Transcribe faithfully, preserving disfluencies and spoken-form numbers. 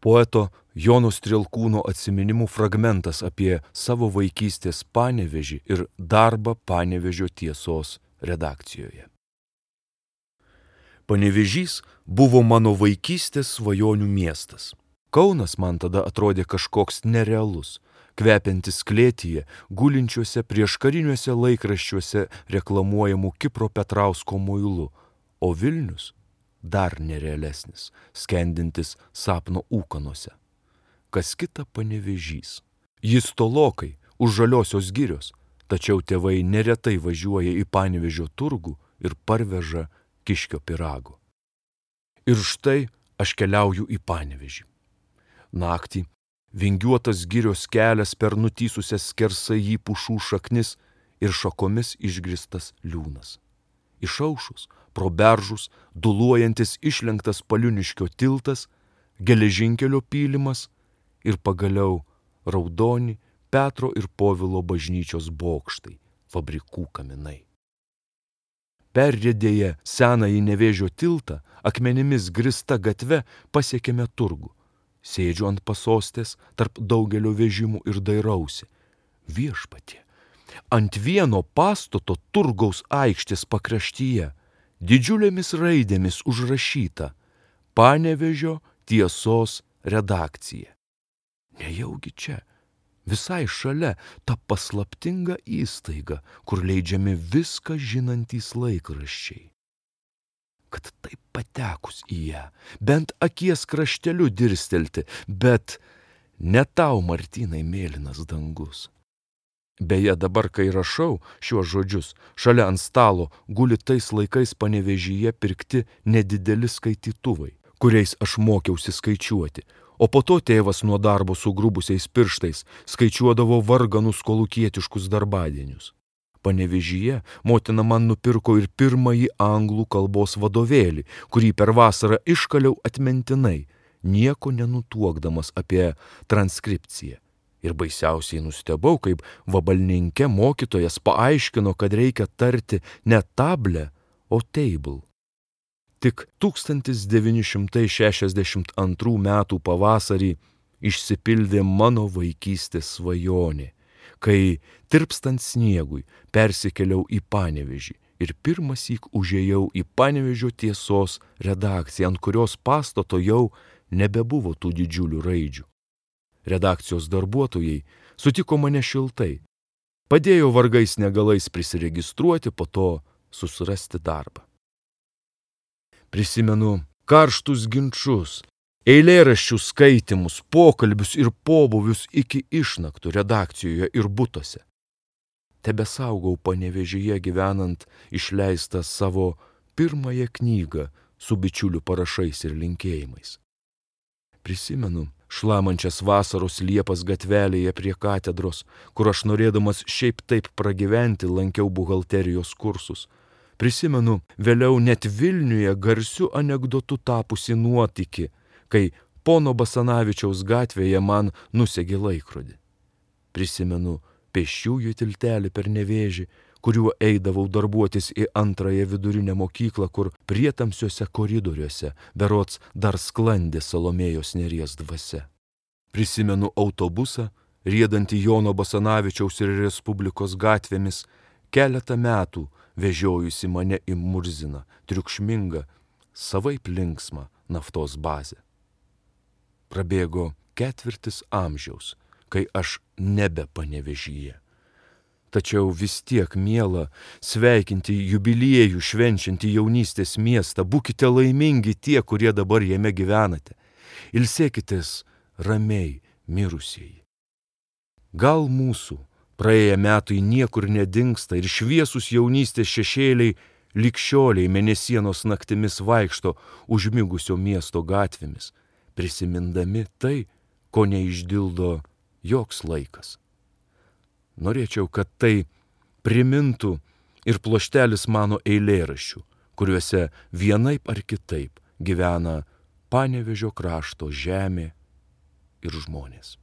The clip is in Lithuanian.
Poeto Jono Strielkūno atsiminimų fragmentas apie savo vaikystės Panevėžį ir darbą Panevėžio Tiesos redakcijoje. Panevėžys buvo mano vaikystės svajonių miestas. Kaunas man tada atrodė kažkoks nerealus, kvepiantis klėtyje, gulinčiuose prieškariniuose laikraščiuose reklamuojamų Kipro Petrausko muilu, o Vilnius dar nerealesnis, skendintis sapno ūkanose. Kas kita Panevėžys. Jis tolokai, už Žaliosios girios, tačiau tėvai neretai važiuoja į Panevėžio turgų ir parveža kiškio pyrago. Ir štai aš keliauju į Panevėžį. Naktį vingiuotas girios kelias per nutysusias skersai jį pušų šaknis ir šakomis išgristas liūnas. Išaušus, pro beržus, duluojantis išlenktas Paliuniškio tiltas, geležinkelio pylimas ir pagaliau raudoni Petro ir Povilo bažnyčios bokštai, fabrikų kaminai. Perriedėję senąjį Nevėžio tiltą, akmenimis grįsta gatve pasiekėme turgų. Sėdžiu ant pasostės tarp daugelio vežimų ir dairausi. Viešpatie, ant vieno pastato turgaus aikštės pakraštyje didžiulėmis raidėmis užrašyta Panevėžio Tiesos redakcija. Nejaugi čia, visai šalia, ta paslaptinga įstaiga, kur leidžiami viską žinantys laikraščiai. Kad taip patekus į ją, bent akies krašteliu dirstelti, bet ne tau, Martynai, mėlynas dangus. Beje, dabar, kai rašau šiuos žodžius, šalia ant stalo guli tais laikais Panevėžyje pirkti nedideli skaitytuvai, kuriais aš mokiausi skaičiuoti, o po to tėvas nuo darbo sugrubusiais pirštais skaičiuodavo varganus kolūkietiškus darbadienius. Panevėžyje motina man nupirko ir pirmąjį anglų kalbos vadovėlį, kurį per vasarą iškaliau atmintinai, nieko nenutuokdamas apie transkripciją. Ir baisiausiai nustebau, kaip vabalninke mokytojas paaiškino, kad reikia tarti ne table, o table. Tik tūkstantis devyni šimtai šešiasdešimt antrų metų pavasarį išsipildė mano vaikystės svajonė, kai tirpstant sniegui persikėliau į Panevėžį ir pirmąsyk užėjau į Panevėžio Tiesos redakciją, ant kurios pastato jau nebebuvo tų didžiulių raidžių. Redakcijos darbuotojai sutiko mane šiltai, padėjo vargais negalais prisiregistruoti, po to susirasti darbą. Prisimenu karštus ginčus, eilėraščių skaitimus, pokalbius ir pobūvius iki išnaktų redakcijoje ir butuose. Tebesaugau Panevėžyje gyvenant išleistą savo pirmąją knygą su bičiulių parašais ir linkėjimais. Prisimenu šlamančias vasaros liepas gatvelėje prie katedros, kur aš norėdamas šiaip taip pragyventi lankiau buhalterijos kursus. Prisimenu vėliau net Vilniuje garsiu anekdotu tapusi nuotykį, kai pono Basanavičiaus gatvėje man nusegė laikrodį. Prisimenu pėsčiųjų tiltelį per Nevėžį, kuriuo eidavau darbuotis į antrąją vidurinę mokyklą, kur prietamsiuose koridoriuose berods dar sklandė Salomėjos Nėries dvasia. Prisimenu autobusą, riedantį Jono Basanavičiaus ir Respublikos gatvėmis, keletą metų vežiojusi mane į Murziną, triukšmingą, savaip linksmą naftos bazę. Prabėgo ketvirtis amžiaus, kai aš nebe Panevėžyje. Tačiau vis tiek miela sveikinti jubiliejų švenčiantį jaunystės miestą, būkite laimingi tie, kurie dabar jame gyvenate. Ilsėkitės ramiai mirusieji. Gal mūsų praėję metai niekur nedingsta ir šviesus jaunystės šešėliai likščioliai mėnesienos naktimis vaikšto užmigusio miesto gatvėmis, prisimindami tai, ko neišdildo joks laikas. Norėčiau, kad tai primintų ir pluoštelis mano eilėraščių, kuriuose vienaip ar kitaip gyvena Panevėžio krašto žemė ir žmonės.